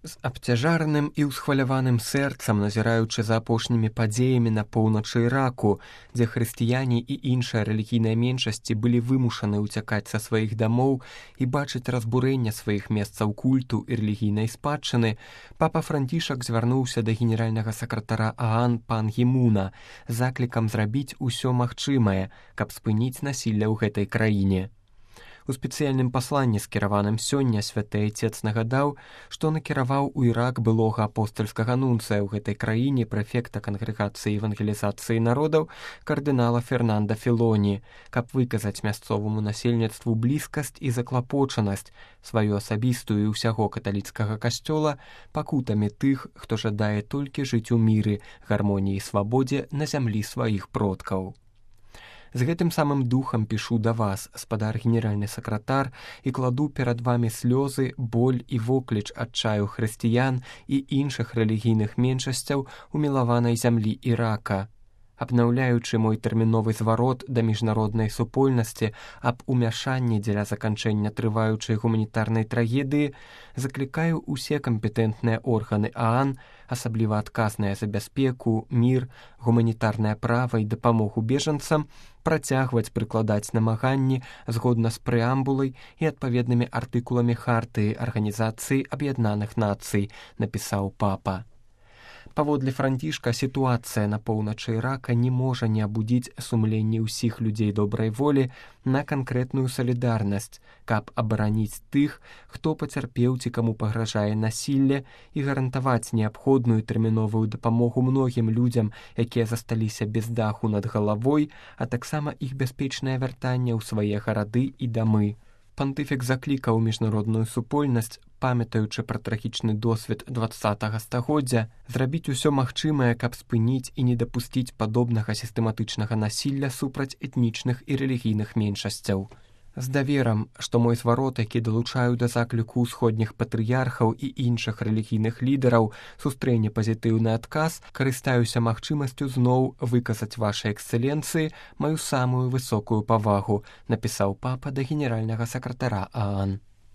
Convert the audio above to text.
З абцяжарным і ўсхваляваным сэрцам, назіраючы за апошнімі падзеямі на поўначы Іраку, дзе хрысціяне і іншыя рэлігійныя меншасці былі вымушаны ўцякаць са сваіх дамоў і бачыць разбурэнне сваіх месцаў культу і рэлігійнай спадчыны, папа Францішак звярнуўся да генеральнага сакратара ААН пан Гімуна з заклікам зрабіць усё магчымае, каб спыніць насілля ў гэтай краіне. У спецыяльным пасланні, скіраваным сёння, святы айцец нагадаў, што накіраваў у Ірак былога апостальскага нунцыя ў гэтай краіне прэфекта кангрэгацыі евангелізацыі народаў кардынала Фернанда Філоні, каб выказаць мясцоваму насельніцтву блізкасць і заклапочанасць сваю асабістую і ўсяго каталіцкага касцёла пакутамі тых, хто жадае толькі жыць у міры, гармоніі і свабодзе на зямлі сваіх продкаў. З гэтым самым духам пішу да вас, спадар генеральны сакратар, і кладу перад вамі слёзы, боль і вокліч адчаю хрысціян і іншых рэлігійных меншасцяў у мілаванай зямлі Ірака. Абнаўляючы мой тэрміновы зварот да міжнароднай супольнасці аб умяшанні дзеля заканчэння трываючай гуманітарнай трагедыі, заклікаю ўсе кампетэнтныя органы ААН, асабліва адказныя за бяспеку, мір, гуманітарнае права і дапамогу бежанцам, працягваць прыкладаць намаганні згодна з прэамбулай і адпаведнымі артыкуламі хартыі Арганізацыі Аб'яднаных Нацый, напісаў папа. Паводле Францішка, сітуацыя на поўначы Ірака не можа не абудзіць сумленне ўсіх людзей добрай волі на канкрэтную салідарнасць, каб абараніць тых, хто пацярпеў ці каму пагражае насілле, і гарантаваць неабходную тэрміновую дапамогу многім людзям, якія засталіся без даху над галавой, а таксама іх бяспечнае вяртанне ў свае гарады і дамы. Пантыфік заклікаў міжнародную супольнасць, памятаючы пра трагічны досвед 20-га стагоддзя, зрабіць усё магчымае, каб спыніць і не дапусціць падобнага сістэматычнага насілля супраць этнічных і рэлігійных меншасцяў. З даверам, што мой зварот, які далучаю да закліку ўсходніх патрыярхаў і іншых рэлігійных лідараў, сустрэне пазітыўны адказ, карыстаюся магчымасцю зноў выказаць вашай эксцэленцыі маю самую высокую павагу, напісаў папа да генеральнага сакратара ААН.